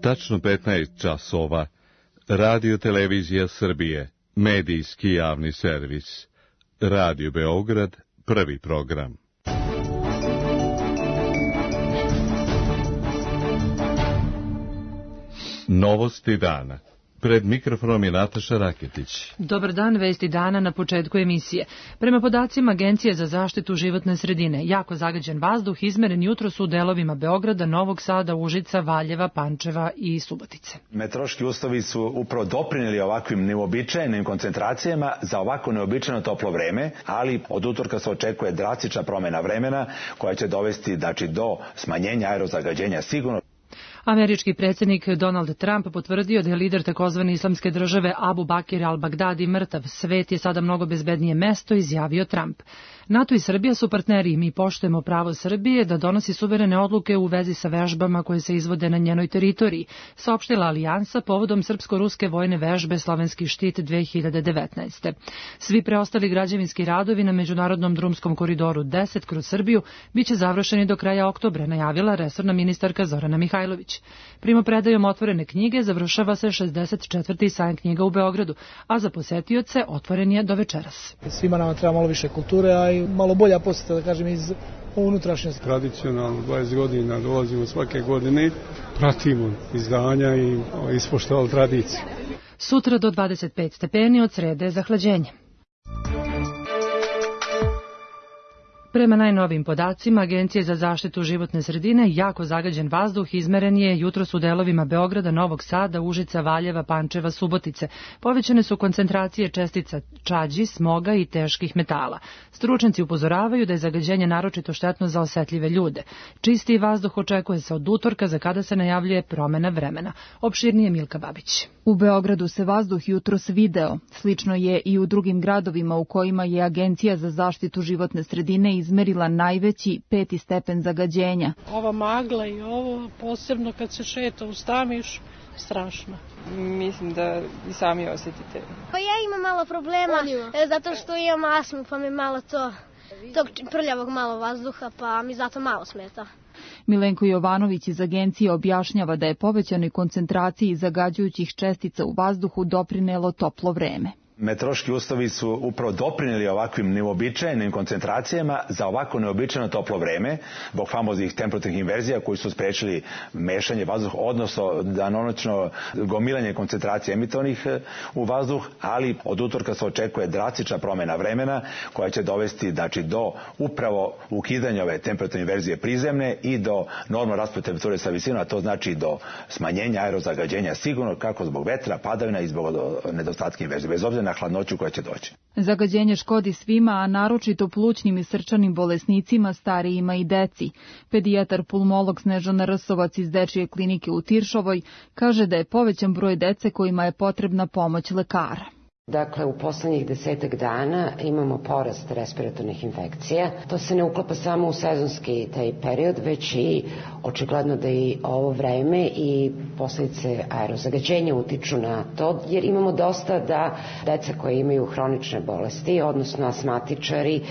Tačno 15 časova. Radio Televizija Srbije, medijski javni servis. Radio Beograd, prvi program. Novosti dana. Pred mikrofonom je Nataša Raketić. Dobar dan, vesti dana na početku emisije. Prema podacima Agencije za zaštitu životne sredine, jako zagađen vazduh izmeren jutros u delovima Beograda, Novog Sada, Užica, Valjeva, Pančeva i Subotice. Meteorološki uslovi su upravo doprineli ovakvim neuobičajenim koncentracijama za ovako neobičajeno toplo vreme, ali od utorka se očekuje drastična promena vremena koja će dovesti do smanjenja aerozagađenja sigurno. Američki predsjednik Donald Trump potvrdio da je lider takozvane islamske države Abu Bakir al-Baghdadi mrtav. Svet je sada mnogo bezbednije mesto, izjavio Trump. NATO i Srbija su partneri i mi poštujemo pravo Srbije da donosi suverene odluke u vezi sa vežbama koje se izvode na njenoj teritoriji, saopštila Alijansa povodom srpsko-ruske vojne vežbe Slovenski štit 2019. Svi preostali građevinski radovi na međunarodnom drumskom koridoru 10 kroz Srbiju biće završeni do kraja oktobra, najavila resorna ministarka Zorana Mihajlović. Primopredajom otvorene knjige završava se 64. sajam knjiga u Beogradu, a za posetioce otvoren je do večeras. Svima nama treba malo više kulture, a i malo bolja posjeta, da kažem, iz unutrašnjosti. Tradicionalno 20 godina dolazimo svake godine, pratimo izdanja i ispoštovali tradiciju. Sutra do 25 stepeni, od srede zahlađenje. Prema najnovim podacima Agencije za zaštitu životne sredine, jako zagađen vazduh izmeren je jutros u delovima Beograda, Novog Sada, Užica, Valjeva, Pančeva, Subotice. Povećane su koncentracije čestica čađi, smoga i teških metala. Stručnjaci upozoravaju da je zagađenje naročito štetno za osetljive ljude. Čistiji vazduh očekuje se od utorka, za kada se najavljuje promena vremena. Opširnije Milka Babić. U Beogradu se vazduh jutros video. Slično je i u drugim gradovima u kojima je Agencija za zaštitu životne sredine izmerila najveći 5. stepen zagađenja. Ova magla i ovo, posebno kad se šeta u Stamiš, strašno. Mislim da i sami osjetite. Pa ja imam malo problema, zato što imam astmu, pa mi malo tog prljavog malo vazduha, pa mi zato malo smeta. Milenko Jovanović iz agencije objašnjava da je povećanoj koncentraciji zagađujućih čestica u vazduhu doprinelo toplo vreme. Meteorološki uslovi su upravo doprineli ovakvim neuobičajenim koncentracijama za ovako neobičajeno toplo vreme, zbog famoznih temperaturnih inverzija koji su sprečili mešanje vazduha, odnosno danonoćno gomilanje koncentracije emitovanih u vazduh, ali od utorka se očekuje drastična promena vremena koja će dovesti do upravo ukidanja ove temperaturne inverzije prizemne i do normalno raspona temperature sa visinom, a to znači do smanjenja aerozagađenja sigurno, kako zbog vetra, padavina i zbog nedostatka inverzije, bez obzira na hladnoću koja će doći. Zagađenje škodi svima, a naročito plućnim i srčanim bolesnicima, starijima i deci. Pedijatar pulmolog Snežana Rsovac iz Dečije klinike u Tiršovoj kaže da je povećan broj dece kojima je potrebna pomoć lekara. Dakle, u poslednjih 10 dana imamo porast respiratornih infekcija. To se ne uklapa samo u sezonski taj period, već i očigledno da i ovo vreme i posljedice aerozagađenja utiču na to, jer imamo dosta da deca koje imaju hronične bolesti, odnosno asmatičari,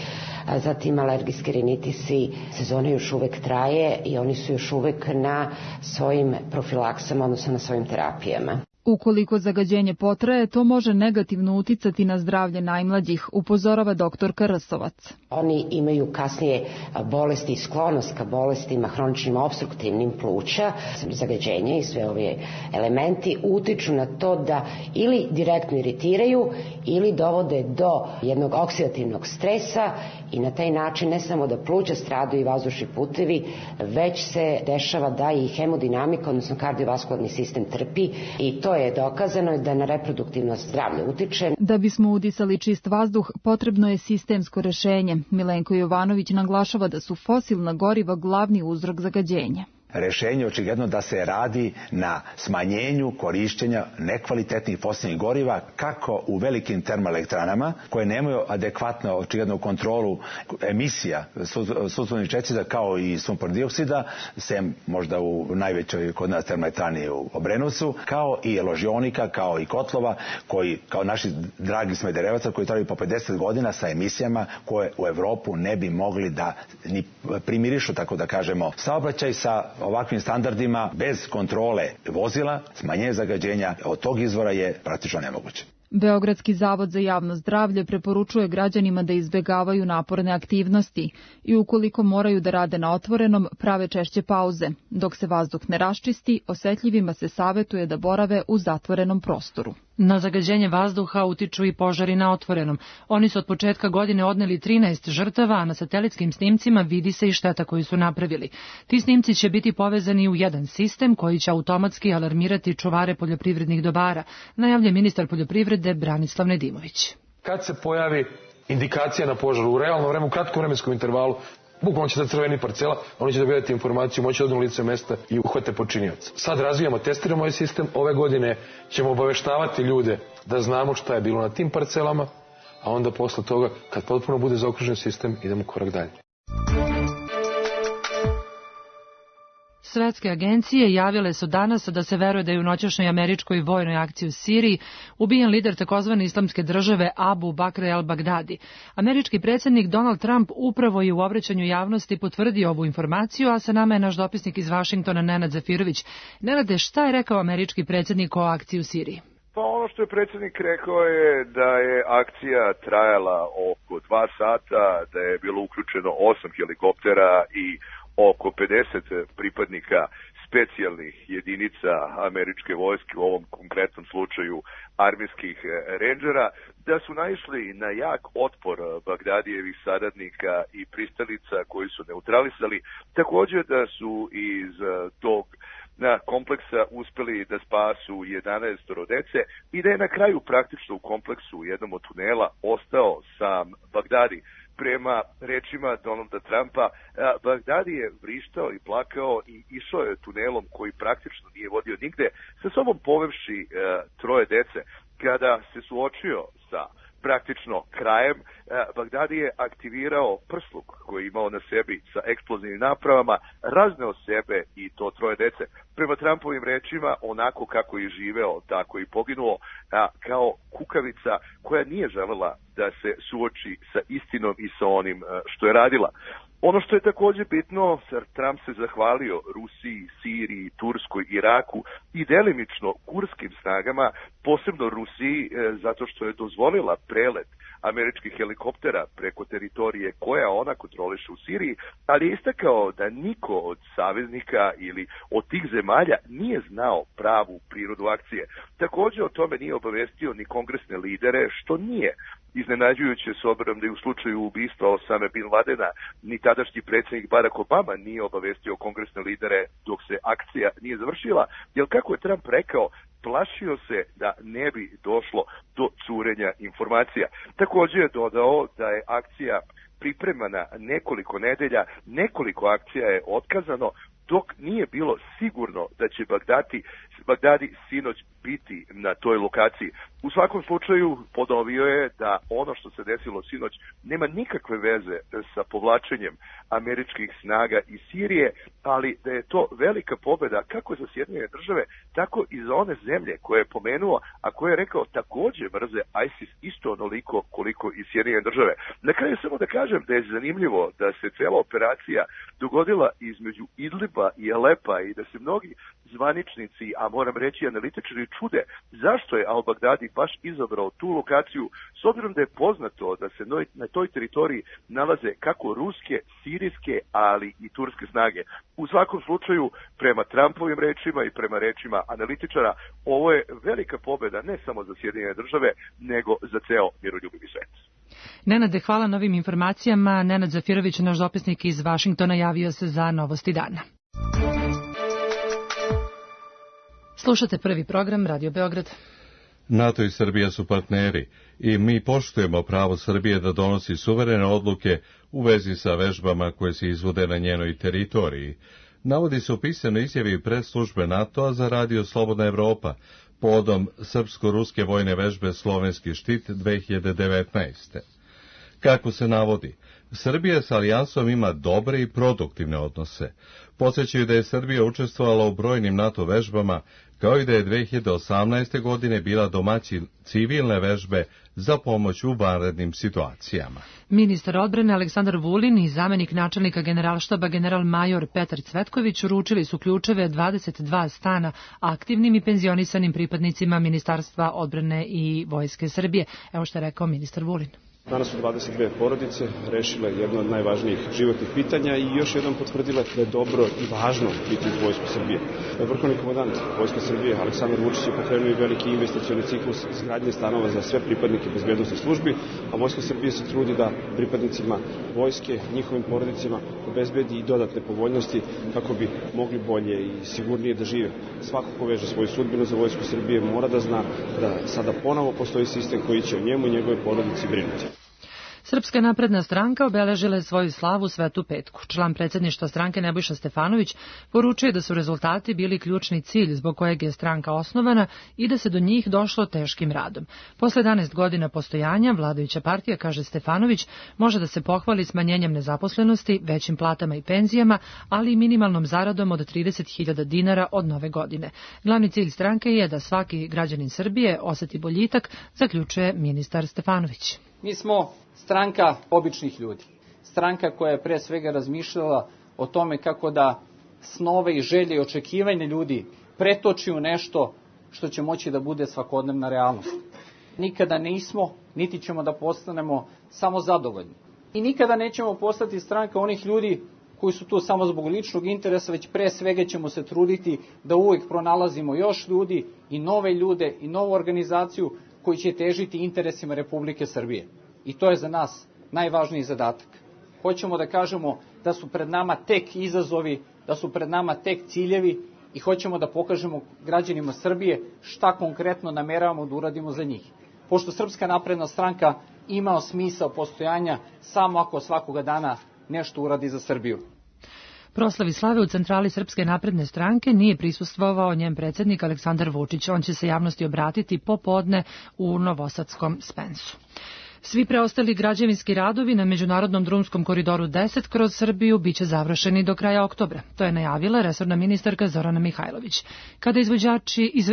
zatim alergijski rinitisi, sezona još uvek traje i oni su još uvek na svojim profilaksama, odnosno na svojim terapijama. Ukoliko zagađenje potraje, to može negativno uticati na zdravlje najmlađih, upozorava doktorka Rsovac. Oni imaju kasnije bolesti i sklonost ka bolestima hroničnim opstruktivnim pluća. Zagađenje i sve ove elementi utiču na to da ili direktno iritiraju ili dovode do jednog oksidativnog stresa i na taj način ne samo da pluća stradaju i vazdušni putevi, već se dešava da i hemodinamika, odnosno kardiovaskularni sistem trpi i to je dokazano da na reproduktivno zdravlje utiče. Da bismo udisali čist vazduh, potrebno je sistemsko rešenje. Milenko Jovanović naglašava da su fosilna goriva glavni uzrok zagađenja. Rešenje očigledno da se radi na smanjenju korišćenja nekvalitetnih fosilnih goriva kako u velikim termoelektranama koje nemaju adekvatno očiglednu kontrolu emisija sumpornih čestica kao i sumpor dioksida, sem možda u najvećoj kod nas termoelektrani u Obrenovcu, kao i ložionika, kao i kotlova koji kao naši dragi Smederevaca koji traju po 50 godina sa emisijama koje u Evropu ne bi mogli da ni primirišu, tako da kažemo, saobraćaj sa ovakvim standardima bez kontrole vozila, smanjenje zagađenja od tog izvora je praktično nemoguće. Beogradski zavod za javno zdravlje preporučuje građanima da izbegavaju naporne aktivnosti i ukoliko moraju da rade na otvorenom, prave češće pauze. Dok se vazduh ne raščisti, osetljivima se savetuje da borave u zatvorenom prostoru. Na zagađenje vazduha utiču i požari na otvorenom. Oni su od početka godine odneli 13 žrtava, a na satelitskim snimcima vidi se i šteta koju su napravili. Ti snimci će biti povezani u jedan sistem koji će automatski alarmirati čuvare poljoprivrednih dobara, najavlja ministar poljoprivrede Branislav Nedimović. Kad se pojavi indikacija na požaru u realnom vremenu, u kratkom vremenskom intervalu, bukvalno će da crveni parcela, oni će dobijati informaciju, moći da odu na lice mesta i uhvate počinioca. Sad razvijamo, testiramo ovaj sistem, ove godine ćemo obaveštavati ljude da znamo šta je bilo na tim parcelama, a onda posle toga, kad potpuno bude zaokružen sistem, idemo korak dalje. Svetske agencije javile su danas da se veruje da je u noćašnjoj američkoj vojnoj akciji u Siriji ubijen lider takozvane islamske države Abu Bakr al-Baghdadi. Američki predsjednik Donald Trump upravo je u obraćanju javnosti potvrdio ovu informaciju, a sa nama je naš dopisnik iz Vašingtona Nenad Zafirović. Nenade, šta je rekao američki predsjednik o akciji u Siriji? Pa ono što je predsjednik rekao je da je akcija trajala oko 2 sata, da je bilo uključeno 8 helikoptera i oko 50 pripadnika specijalnih jedinica američke vojske, u ovom konkretnom slučaju armijskih rendžera, da su naišli na jak otpor Bagdadijevih saradnika i pristalica koji su neutralisali. Također da su iz tog kompleksa uspeli da spasu 11 dece i da je na kraju praktično u kompleksu u jednom od tunela ostao sam Bagdadi. Prema rečima Donalda Trumpa, Bagdadi je vrištao i plakao i išao je tunelom koji praktično nije vodio nigde, sa sobom povevši 3 dece. Kada se suočio sa praktično krajem, Bagdadi je aktivirao prsluk koji je imao na sebi sa eksplozivnim napravama, razneo sebe i to 3 dece. Prema Trumpovim rečima, onako kako je živeo, tako i poginuo, kao kukavica koja nije želela da se suoči sa istinom i sa onim što je radila. Ono što je također bitno, Trump se zahvalio Rusiji, Siriji, Turskoj, Iraku i delimično kurskim snagama, posebno Rusiji, zato što je dozvolila prelet američkih helikoptera preko teritorije koja ona kontroliše u Siriji, ali je istakao da niko od saveznika ili od tih zemalja nije znao pravu prirodu akcije. Također o tome nije obavestio ni kongresne lidere, što nije iznenađujuće s obzirom da je u slučaju ubistva Osame bin Ladena ni tadašnji predsjednik Barack Obama nije obavestio kongresne lidere dok se akcija nije završila, jer kako je Trump rekao, plašio se da ne bi došlo do curenja informacija. Također je dodao da je akcija pripremana nekoliko nedelja, nekoliko akcija je otkazano, dok nije bilo sigurno da će Bagdadi sinoć biti na toj lokaciji. U svakom slučaju ponovio je da ono što se desilo sinoć nema nikakve veze sa povlačenjem američkih snaga iz Sirije, ali da je to velika pobjeda kako za Sjedinjene države, tako i za one zemlje koje je pomenuo, a koje je rekao također mrze ISIS isto onoliko koliko i Sjedinjene države. Na kraju samo da kažem da je zanimljivo da se cijela operacija dogodila između Idliba i Alepa i da se mnogi zvaničnici, a moram reći analitičari, čude zašto je al-Baghdadi baš izabrao tu lokaciju, s obzirom da je poznato da se na toj teritoriji nalaze kako ruske, sirijske, ali i turske snage. U svakom slučaju, prema Trumpovim rečima i prema rečima analitičara, ovo je velika pobjeda ne samo za Sjedinjene države, nego za ceo miroljubivi svet. Nenade, hvala na ovim informacijama. Nenad Zafirović, naš dopisnik iz Vašingtona, javio se za novosti dana. Slušate prvi program Radio Beograd. NATO i Srbija su partneri i mi poštujemo pravo Srbije da donosi suverene odluke u vezi sa vežbama koje se izvode na njenoj teritoriji. Navodi se u pisanoj izjavi predslužbe NATO-a za radio Slobodna Evropa povodom srpsko-ruske vojne vežbe Slovenski štit 2019. Kako se navodi, Srbija s alijansom ima dobre i produktivne odnose. Podsjećaju da je Srbija učestvovala u brojnim NATO vežbama, kao i da je 2018. godine bila domaćin civilne vežbe za pomoć u vanrednim situacijama. Ministar odbrane Aleksandar Vulin i zamenik načelnika generalštaba general-major Petar Cvetković uručili su ključeve 22 stana aktivnim i penzionisanim pripadnicima Ministarstva odbrane i Vojske Srbije. Evo što je rekao ministar Vulin. Danas su 22 porodice rešile jedno od najvažnijih životnih pitanja i još jednom potvrdile da je dobro i važno biti u Vojsku Srbije. Vrhovni komandant Vojske Srbije Aleksandar Vučić je pokrenuo i veliki investicioni ciklus izgradnje stanova za sve pripadnike bezbednosnih službi, a Vojska Srbije se trudi da pripadnicima vojske, njihovim porodicama obezbedi i dodatne povoljnosti kako bi mogli bolje i sigurnije da žive. Svako ko veže svoju sudbinu za Vojsku Srbije mora da zna da sada ponovo postoji sistem koji će o njemu i njegove porodici brinuti. Srpska napredna stranka obeležila je svoju slavu Svetu petku. Član predsjedništva stranke Nebojša Stefanović poručuje da su rezultati bili ključni cilj zbog kojeg je stranka osnovana i da se do njih došlo teškim radom. Posle 11 godina postojanja, vladajuća partija, kaže Stefanović, može da se pohvali smanjenjem nezaposlenosti, većim platama i penzijama, ali i minimalnom zaradom od 30.000 dinara od nove godine. Glavni cilj stranke je da svaki građanin Srbije oseti boljitak, zaključuje ministar Stefanović. Mi smo stranka običnih ljudi. Stranka koja je pre svega razmišljala o tome kako da snove i želje i očekivanje ljudi pretoči u nešto što će moći da bude svakodnevna realnost. Nikada nismo, niti ćemo da postanemo samo zadovoljni. I nikada nećemo postati stranka onih ljudi koji su tu samo zbog ličnog interesa, već pre svega ćemo se truditi da uvijek pronalazimo još ljudi i nove ljude i novu organizaciju koji će težiti interesima Republike Srbije. I to je za nas najvažniji zadatak. Hoćemo da kažemo da su pred nama tek izazovi, da su pred nama tek ciljevi i hoćemo da pokažemo građanima Srbije šta konkretno nameravamo da uradimo za njih. Pošto Srpska napredna stranka ima smisao postojanja samo ako svakoga dana nešto uradi za Srbiju. Proslavi slave u centrali Srpske napredne stranke nije prisustvovao njen predsjednik Aleksandar Vučić. On će se javnosti obratiti popodne u Novosadskom Spensu. Svi preostali građevinski radovi na međunarodnom drumskom koridoru 10 kroz Srbiju biće završeni do kraja oktobra. To je najavila resorna ministarka Zorana Mihajlović. Kada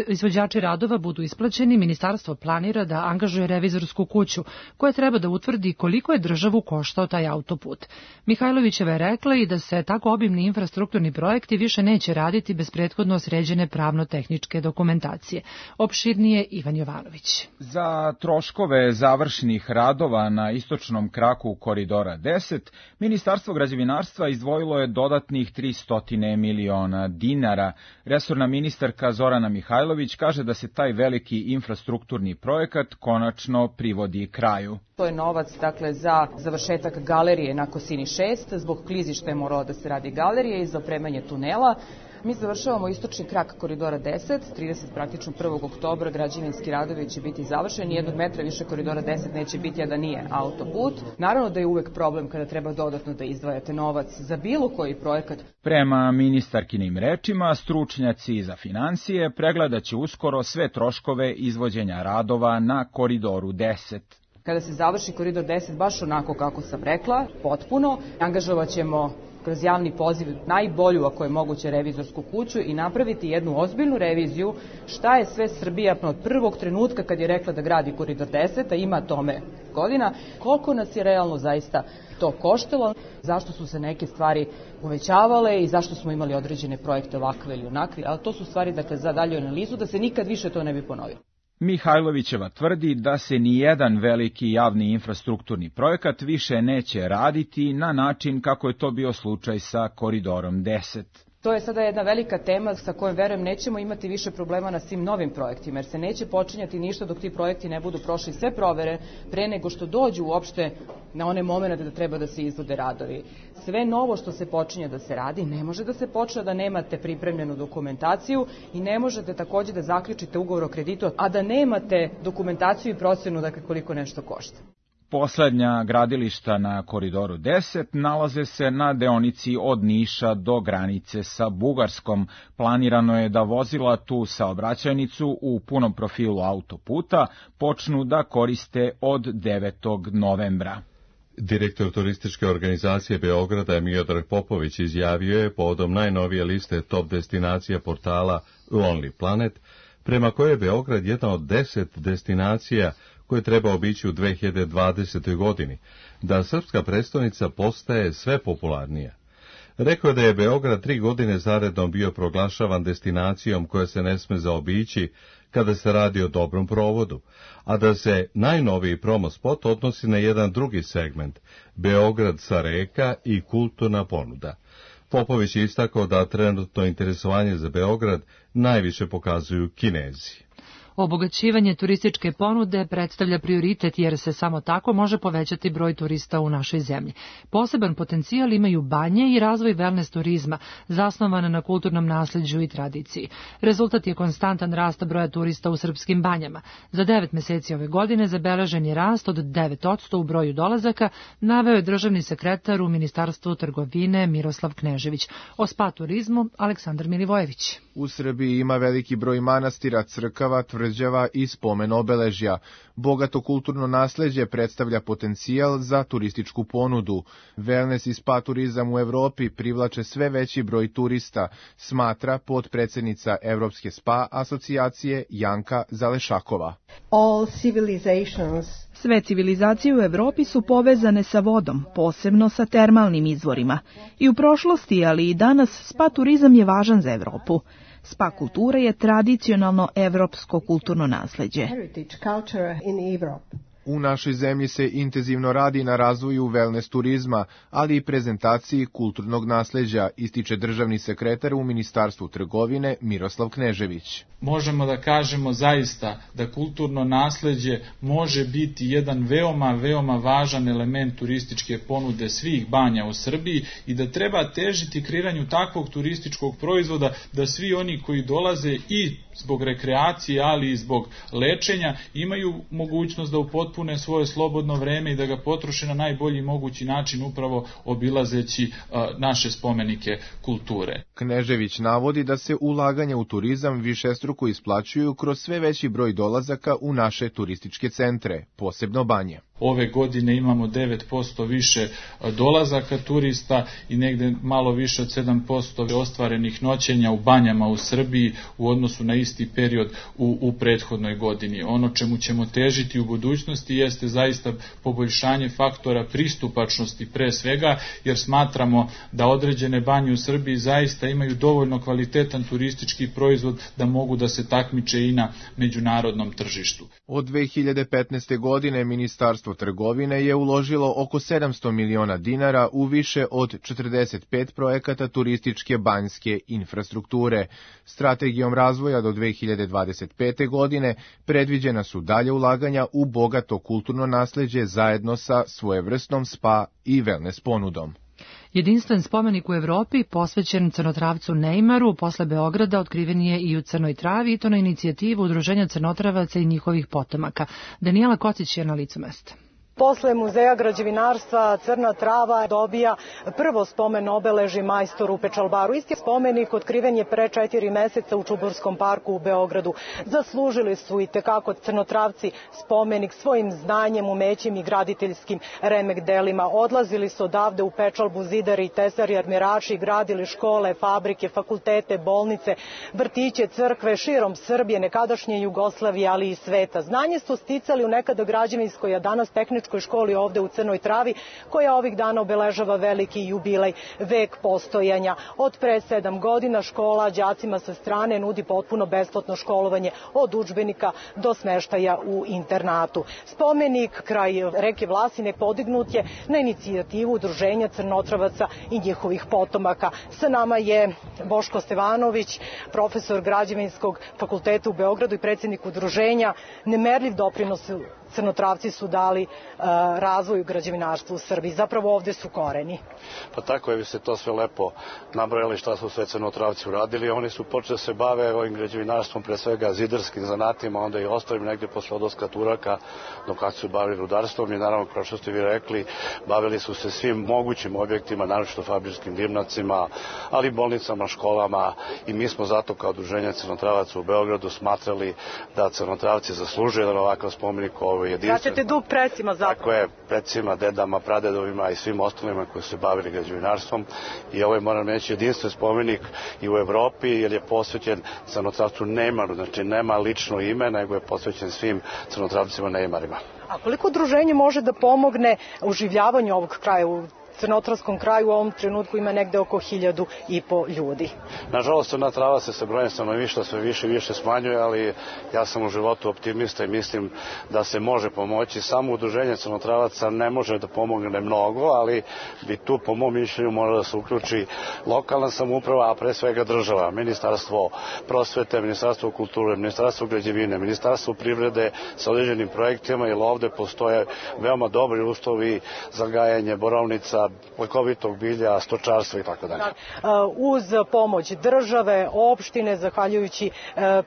izvođači radova budu isplaćeni, ministarstvo planira da angažuje revizorsku kuću koja treba da utvrdi koliko je državu koštao taj autoput. Mihajlovićeva je rekla i da se tako obimni infrastrukturni projekti više neće raditi bez prethodno sređene pravno-tehničke dokumentacije. Opširnije Ivan Jovanović. Za troškove završnih radova na istočnom kraku koridora 10, Ministarstvo građevinarstva izdvojilo je dodatnih 300 miliona dinara. Resorna ministarka Zorana Mihajlović kaže da se taj veliki infrastrukturni projekat konačno privodi kraju. To je novac za završetak galerije na Kosini 6, zbog klizišta je moralo da se radi galerije i za opremanje tunela. Mi završavamo istočni krak koridora 10, 30 praktično 1. oktobra građevinski radovi će biti završeni, 1 metra više koridora 10 neće biti, a da nije autoput. Naravno da je uvek problem kada treba dodatno da izdvajate novac za bilo koji projekat. Prema ministarkinim rečima, stručnjaci za finansije pregledat će uskoro sve troškove izvođenja radova na koridoru 10. Kada se završi koridor 10, baš onako kako sam rekla, potpuno, angažovat ćemo kroz javni poziv najbolju, ako je moguće, revizorsku kuću i napraviti jednu ozbiljnu reviziju šta je sve Srbija od prvog trenutka kad je rekla da gradi koridor 10, a ima tome godina, koliko nas je realno zaista to koštalo, zašto su se neke stvari uvećavale i zašto smo imali određene projekte ovakve ili onakve, ali to su stvari za dalju analizu da se nikad više to ne bi ponovilo. Mihajlovićeva tvrdi da se nijedan veliki javni infrastrukturni projekat više neće raditi na način kako je to bio slučaj sa koridorom 10. To je sada jedna velika tema sa kojom, verujem, nećemo imati više problema na svim novim projektima, jer se neće počinjati ništa dok ti projekti ne budu prošli sve provere pre nego što dođu uopšte na one momente da treba da se izvode radovi. Sve novo što se počinje da se radi ne može da se počne da nemate pripremljenu dokumentaciju i ne možete takođe da zaključite ugovor o kreditu, a da nemate dokumentaciju i procenu koliko nešto košta. Poslednja gradilišta na koridoru 10 nalaze se na deonici od Niša do granice sa Bugarskom. Planirano je da vozila tu saobraćajnicu u punom profilu autoputa počnu da koriste od 9. novembra. Direktor turističke organizacije Beograda Miodrag Popović izjavio je povodom najnovije liste top destinacija portala Lonely Planet, prema kojoj je Beograd jedna od 10 destinacija koje treba obići u 2020. godini, da srpska prestonica postaje sve popularnija. Rekao je da je Beograd 3 godine zaredom bio proglašavan destinacijom koja se ne sme zaobići kada se radi o dobrom provodu, a da se najnoviji promo spot odnosi na jedan drugi segment, Beograd sa reka i kulturna ponuda. Popović je istakao da trenutno interesovanje za Beograd najviše pokazuju Kinezi. Obogaćivanje turističke ponude predstavlja prioritet jer se samo tako može povećati broj turista u našoj zemlji. Poseban potencijal imaju banje i razvoj wellness turizma, zasnovan na kulturnom nasleđu i tradiciji. Rezultat je konstantan rast broja turista u srpskim banjama. Za 9 meseci ove godine zabeležen je rast od 9% u broju dolazaka, naveo je državni sekretar u Ministarstvu trgovine Miroslav Knežević. O spa turizmu Aleksandar Milivojević. U Srbiji ima veliki broj manastira, crkava, tvrđava i spomen obeležja. Bogato kulturno nasleđe predstavlja potencijal za turističku ponudu. Wellness i spa turizam u Evropi privlače sve veći broj turista, smatra potpredsednica Evropske spa asocijacije Janka Zalešakova. Sve civilizacije u Evropi su povezane sa vodom, posebno sa termalnim izvorima. I u prošlosti, ali i danas, spa turizam je važan za Evropu. Spa kultura je tradicionalno evropsko kulturno nasleđe. U našoj zemlji se intenzivno radi na razvoju wellness turizma, ali i prezentaciji kulturnog nasleđa, ističe državni sekretar u Ministarstvu trgovine Miroslav Knežević. Možemo da kažemo zaista da kulturno nasleđe može biti jedan veoma važan element turističke ponude svih banja u Srbiji i da treba težiti kreiranju takvog turističkog proizvoda da svi oni koji dolaze i zbog rekreacije, ali i zbog lečenja imaju mogućnost da upotpune svoje slobodno vreme i da ga potroše na najbolji mogući način upravo obilazeći naše spomenike kulture. Knežević navodi da se ulaganja u turizam višestruko isplaćuju kroz sve veći broj dolazaka u naše turističke centre, posebno banje. Ove godine imamo 9% više dolazaka turista i negde malo više od 7% ostvarenih noćenja u banjama u Srbiji u odnosu na isti period u prethodnoj godini. Ono čemu ćemo težiti u budućnosti jeste zaista poboljšanje faktora pristupačnosti pre svega, jer smatramo da određene banje u Srbiji zaista imaju dovoljno kvalitetan turistički proizvod da mogu da se takmiče i na međunarodnom tržištu. Od 2015. godine Ministarstvo trgovine je uložilo oko 700 miliona dinara u više od 45 projekata turističke banjske infrastrukture. Strategijom razvoja do 2025. godine predviđena su dalje ulaganja u bogato kulturno nasleđe zajedno sa svojevrsnom spa i wellness ponudom. Jedinstven spomenik u Evropi, posvećen crnotravcu Neymaru, posle Beograda otkriven je i u Crnoj Travi, i to na inicijativu Udruženja crnotravaca i njihovih potomaka. Danijela Kocić je na licu mesta. Posle Muzeja građevinarstva Crna Trava dobija prvo spomen obeleži majstoru Pečalbaru. Isti spomenik otkriven je pre 4 meseca u Čuburskom parku u Beogradu. Zaslužili su i tekako crnotravci spomenik svojim znanjem, umećem i graditeljskim remek delima. Odlazili su odavde u Pečalbu zidari, tesari, armirači, gradili škole, fabrike, fakultete, bolnice, vrtiće, crkve širom Srbije, nekadašnje Jugoslavije, ali i sveta. Znanje su sticali u nekada građevinskoj, a danas tehničkoj školi ovde u Crnoj Travi, koja ovih dana obeležava veliki jubilej, vek postojanja. Od pre 7 godina škola đacima sa strane nudi potpuno besplatno školovanje od udžbenika do smeštaja u internatu. Spomenik kraj reke Vlasine podignut je na inicijativu Udruženja crnotravaca i njihovih potomaka. Sa nama je Boško Stevanović, profesor Građevinskog fakulteta u Beogradu i predsjednik udruženja. Nemerljiv doprinos crnotravci su dali razvoju građevinarstva u Srbiji. Zapravo ovde su koreni. Pa tako je, vi ste to sve lepo nabrojali šta su sve crnotravci uradili. Oni su počeli da se bave ovim građevinarstvom, pre svega zidarskim zanatima, onda i ostalim negde posle odlaska Turaka, dok kad su bavili rudarstvom i naravno, kao što ste vi rekli, bavili su se svim mogućim objektima, naročito fabričkim dimnacima, ali bolnicama, školama, i mi smo zato kao Udruženje crnotravaca u Beogradu smatrali da crnotravci zaslužuju jedan ovakav spomenik zapravo jedinstven. Vraćate dug precima zapravo. Tako je, precima, dedama, pradedovima i svim ostalima koji su se bavili građevinarstvom. I ovo je, moram reći, jedinstven spomenik i u Evropi, jer je posvećen crnotravcu Neymaru, znači nema lično ime, nego je posvećen svim crnotravcima Neymarima. A koliko udruženje može da pomogne oživljavanju ovog kraja? U crnotravskom kraju u ovom trenutku ima negde oko 1.500 ljudi. Nažalost, Crna Trava se sa brojem stanovništva sve više i više smanjuje, ali ja sam u životu optimista i mislim da se može pomoći. Samo udruženje crnotravaca ne može da pomogne mnogo, ali bi tu, po mom mišljenju, mora da se uključi lokalna samouprava, a pre svega država, Ministarstvo prosvete, Ministarstvo kulture, Ministarstvo građevine, Ministarstvo privrede sa određenim projektima, jer ovde postoje veoma dobri uslovi za gajanje borovnica, lekovitog bilja, stočarstva i tako dalje. Uz pomoć države, opštine, zahvaljujući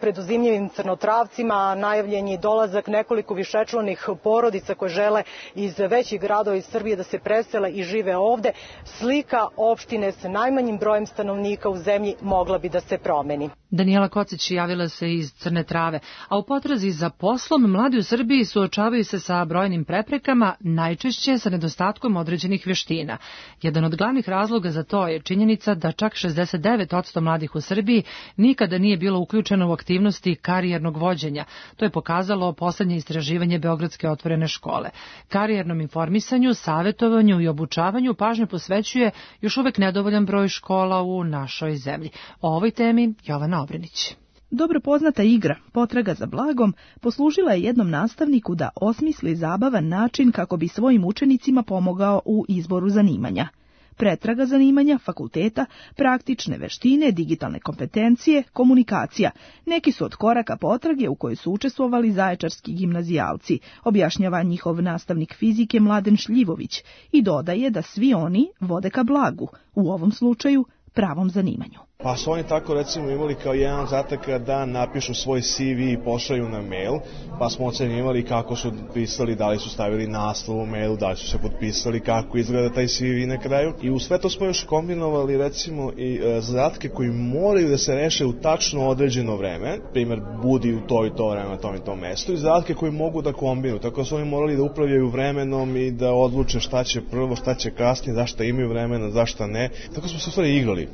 preduzimljivim crnotravcima, najavljen je dolazak nekoliko višečlanih porodica koje žele iz većih gradova iz Srbije da se presele i žive ovde. Slika opštine sa najmanjim brojem stanovnika u zemlji mogla bi da se promeni. Danijela Kocić javila se iz Crne Trave, a u potrazi za poslom mladi u Srbiji suočavaju se sa brojnim preprekama, najčešće sa nedostatkom određenih veština. Jedan od glavnih razloga za to je činjenica da čak 69% mladih u Srbiji nikada nije bilo uključeno u aktivnosti karijernog vođenja. To je pokazalo poslednje istraživanje Beogradske otvorene škole. Karijernom informisanju, savetovanju i obučavanju pažnju posvećuje još uvek nedovoljan broj škola u našoj zemlji. O ovoj temi Jovana Obrenić. Dobro poznata igra, potraga za blagom, poslužila je jednom nastavniku da osmisli zabavan način kako bi svojim učenicima pomogao u izboru zanimanja. Pretraga zanimanja, fakulteta, praktične veštine, digitalne kompetencije, komunikacija. Neki su od koraka potrage u kojoj su učestvovali zaječarski gimnazijalci, objašnjava njihov nastavnik fizike Mladen Šljivović i dodaje da svi oni vode ka blagu, u ovom slučaju pravom zanimanju. Pa su oni tako recimo imali kao jedan zadataka da napišu svoj CV i pošalju na mail, pa smo ocenjivali kako su pisali, da li su stavili naslov u mailu, da li su se potpisali, kako izgleda taj CV na kraju. I u sve to smo još kombinovali recimo i zadatke koji moraju da se reše u tačno određeno vreme, primjer budi u to i to vreme na tom i tom mestu, i zadatke koji mogu da kombinuju, tako da su oni morali da upravljaju vremenom i da odluče šta će prvo, šta će kasnije, zašto imaju vremena, zašto ne. Tako smo se u stvari igrali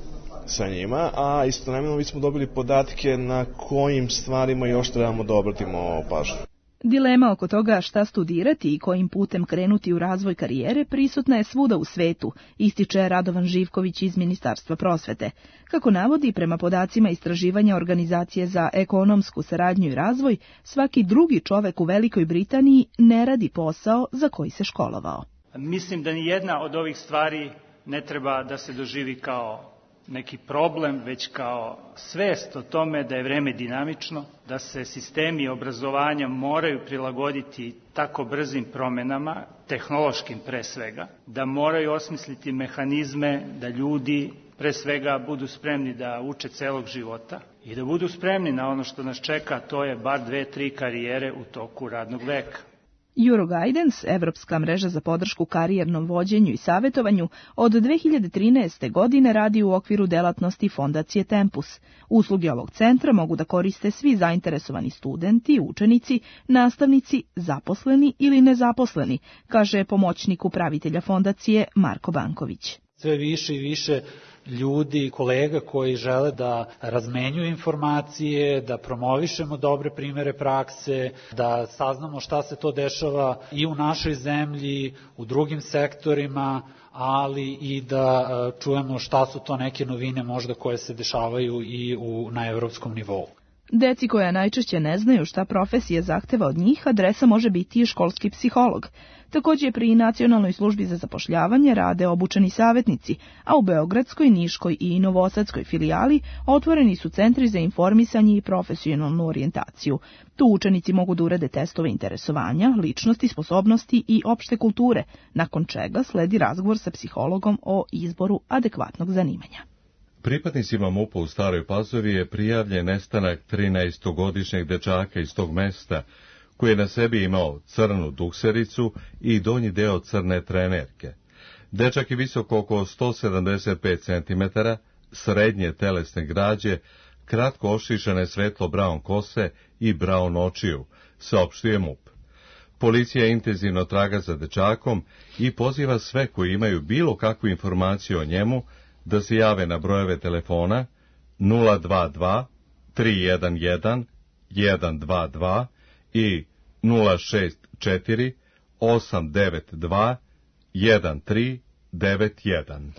sa njima, a istovremeno mi smo dobili podatke na kojim stvarima još trebamo da obratimo pažnju. Dilema oko toga šta studirati i kojim putem krenuti u razvoj karijere prisutna je svuda u svetu, ističe Radovan Živković iz Ministarstva prosvete. Kako navodi, prema podacima istraživanja Organizacije za ekonomsku saradnju i razvoj, svaki drugi čovek u Velikoj Britaniji ne radi posao za koji se školovao. Mislim da ni jedna od ovih stvari ne treba da se doživi kao neki problem, već kao svest o tome da je vreme dinamično, da se sistemi obrazovanja moraju prilagoditi tako brzim promenama, tehnološkim pre svega, da moraju osmisliti mehanizme da ljudi pre svega budu spremni da uče celog života i da budu spremni na ono što nas čeka, to je bar 2-3 karijere u toku radnog veka. Euroguidance, evropska mreža za podršku karijernom vođenju i savetovanju, od 2013. godine radi u okviru delatnosti Fondacije Tempus. Usluge ovog centra mogu da koriste svi zainteresovani studenti, učenici, nastavnici, zaposleni ili nezaposleni, kaže pomoćnik upravitelja fondacije Marko Banković. Sve više i više ljudi, kolega koji žele da razmenjuju informacije, da promovišemo dobre primere prakse, da saznamo šta se to dešava i u našoj zemlji, u drugim sektorima, ali i da čujemo šta su to neke novine možda koje se dešavaju i na evropskom nivou. Deci koja najčešće ne znaju šta profesija zahteva od njih, adresa može biti i školski psiholog. Također pri Nacionalnoj službi za zapošljavanje rade obučeni savjetnici, a u Beogradskoj, Niškoj i Novosadskoj filijali otvoreni su centri za informisanje i profesionalnu orijentaciju. Tu učenici mogu da urade testove interesovanja, ličnosti, sposobnosti i opšte kulture, nakon čega sledi razgovor sa psihologom o izboru adekvatnog zanimanja. Pripadnicima MUP-a u Staroj Pazovi je prijavljen nestanak 13-godišnjeg dečaka iz tog mesta, koji je na sebi imao crnu duksericu i donji deo crne trenerke. Dečak je visok oko 175 cm, srednje telesne građe, kratko ošišane svetlo braun kose i braun očiju, saopštio MUP. Policija intenzivno traga za dečakom i poziva sve koji imaju bilo kakvu informaciju o njemu da se jave na brojeve telefona 022 311 122 i 064 892 1391.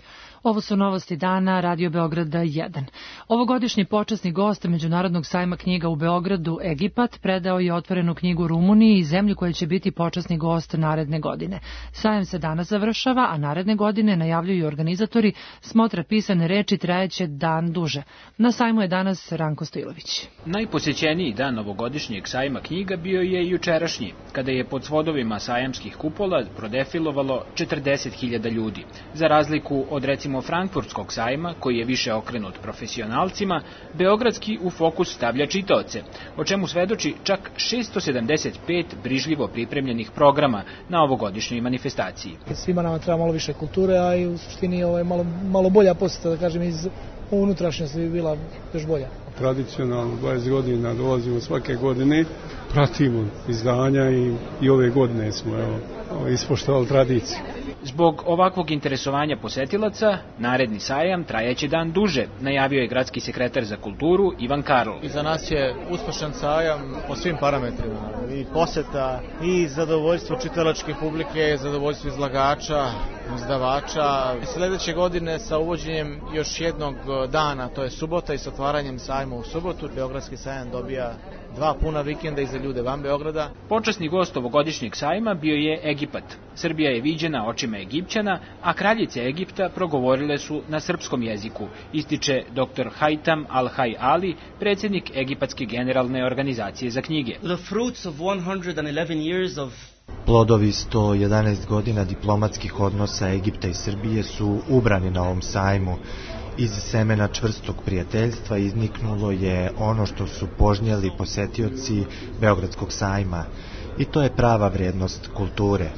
Ovo su novosti dana Radio Beograda 1. Ovogodišnji počasni gost Međunarodnog sajma knjiga u Beogradu, Egipat, predao je otvorenu knjigu Rumuniji i zemlji koja će biti počasni gost naredne godine. Sajam se danas završava, a naredne godine, najavljuju organizatori, smotra pisane reči trajeće dan duže. Na sajmu je danas Ranko Stojilović. Najposećeniji dan ovogodišnjeg sajma knjiga bio je jučerašnji, kada je pod svodovima sajamskih kupola prodefilovalo 40.000 ljudi. Za razliku od recimo frankfurtskog sajma, koji je više okrenut profesionalcima, beogradski u fokus stavlja čitaoce, o čemu svedoči čak 675 brižljivo pripremljenih programa na ovogodišnjoj manifestaciji. Svima nama treba malo više kulture, a i u suštini malo bolja posjeta, da kažem, iz unutrašnjosti bi bila još bolja. Tradicionalno 20 godina dolazimo svake godine, pratimo izdanja i ove godine smo ispoštovali tradiciju. Zbog ovakvog interesovanja posetilaca, naredni sajam trajaće dan duže, najavio je gradski sekretar za kulturu Ivan Karl. I za nas je uspešan sajam po svim parametrima, i poseta, i zadovoljstvo čitalačke publike, zadovoljstvo izlagača, izdavača. Sledeće godine sa uvođenjem još jednog dana, to je subota, i s otvaranjem sajma u subotu, Beogradski sajam dobija 2 puna vikenda i za ljude van Beograda. Počasni gost ovogodišnjeg sajma bio je Egipat. Srbija je viđena očima Egipćana, a kraljice Egipta progovorile su na srpskom jeziku, ističe dr. Haitam Al-Hay Ali, predsjednik Egipatske generalne organizacije za knjige. Plodovi 111 godina diplomatskih odnosa Egipta i Srbije su ubrani na ovom sajmu. Iz semena čvrstog prijateljstva izniknulo je ono što su požnjeli posetioci Beogradskog sajma, i to je prava vrednost kulture.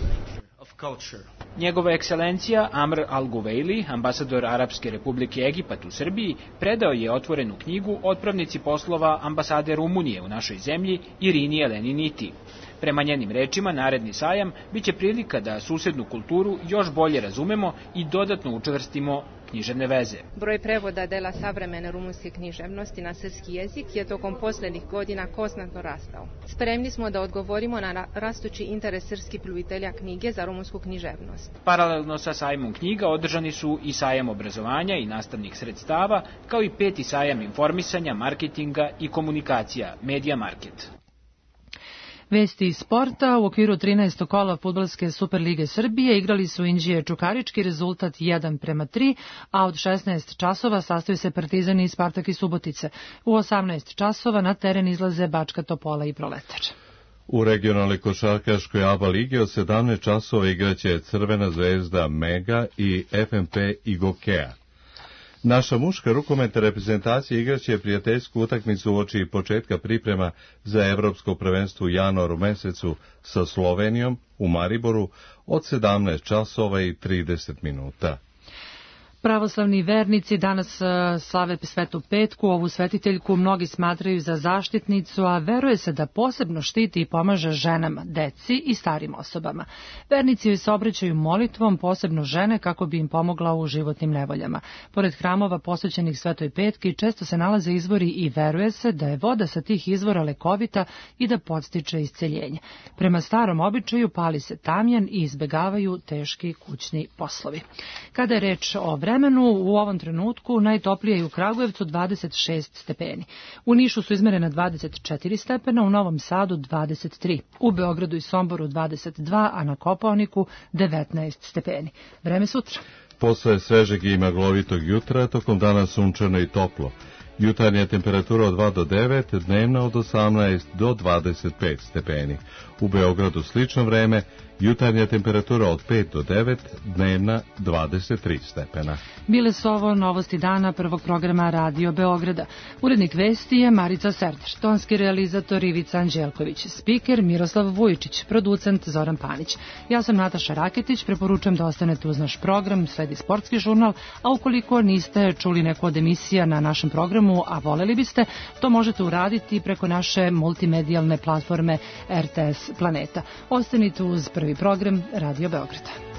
Njegova ekscelencija Amr Al-Guveili, ambasador Arapske republike Egipat u Srbiji, predao je otvorenu knjigu otpravnici poslova ambasade Rumunije u našoj zemlji Irini Eleni Niti. Prema njenim rečima, naredni sajam biće prilika da susednu kulturu još bolje razumemo i dodatno učvrstimo književne veze. Broj prevoda dela savremene rumunske književnosti na srpski jezik je tokom posljednjih godina konstantno rastao. Spremni smo da odgovorimo na rastući interes srpskih ljubitelja knjige za rumunsku književnost. Paralelno sa sajmom knjiga održani su i sajam obrazovanja i nastavnih sredstava, kao i 5. sajam informisanja, marketinga i komunikacija, Media Market. Vesti iz sporta. U okviru 13. kola fudbalske Superlige Srbije igrali su Inđije Čukarički, rezultat 1:3, a od 16 časova sastoji se Partizan i Spartak iz Subotice. U 18 časova na teren izlaze Bačka Topola i Proletar. U regionalnoj košarkaškoj ABA ligi od 17 časova igraće Crvena zvezda Mega i FNP Igokea. Naša muška rukometna reprezentacija igraće prijateljsku utakmicu uoči početka priprema za evropsko prvenstvo u januaru mesecu sa Slovenijom u Mariboru od 17 časova i 30 minuta. Pravoslavni vernici danas slave Svetu Petku. Ovu svetiteljku mnogi smatraju za zaštitnicu, a veruje se da posebno štiti i pomaže ženama, deci i starim osobama. Vernici joj se obraćaju molitvom, posebno žene, kako bi im pomogla u životnim nevoljama. Pored hramova posvećenih Svetoj Petki često se nalaze izvori i veruje se da je voda sa tih izvora lekovita i da podstiče isceljenje. Prema starom običaju pali se tamjan i izbegavaju teški kućni poslovi. Kada je reč o vremenu, u ovom trenutku najtoplije je u Kragujevcu 26 stepeni. U Nišu su izmerena 24 stepena, u Novom Sadu 23, u Beogradu i Somboru 22, a na Kopaoniku 19 stepeni. Vreme sutra. Posle svežeg i maglovitog jutra, tokom dana sunčano i toplo. Jutarnja temperatura od 2 do 9, dnevna od 18 do 25 stepeni. U Beogradu slično vreme, Jutarnja temperatura od 5 do 9, dnevna 23 stepena. Bile su ovo novosti dana prvog programa Radio Beograda. Urednik vesti je Marica Serter, tonski realizator Ivica Anđelković, spiker Miroslav Vujičić, producent Zoran Panić. Ja sam Nataša Raketić, preporučujem da ostanete uz naš program, sledi sportski žurnal, a ukoliko niste čuli neku od emisija na našem programu, a voleli biste, to možete uraditi preko naše multimedijalne platforme RTS Planeta. Ostanite uz prvi program Radio Beograda.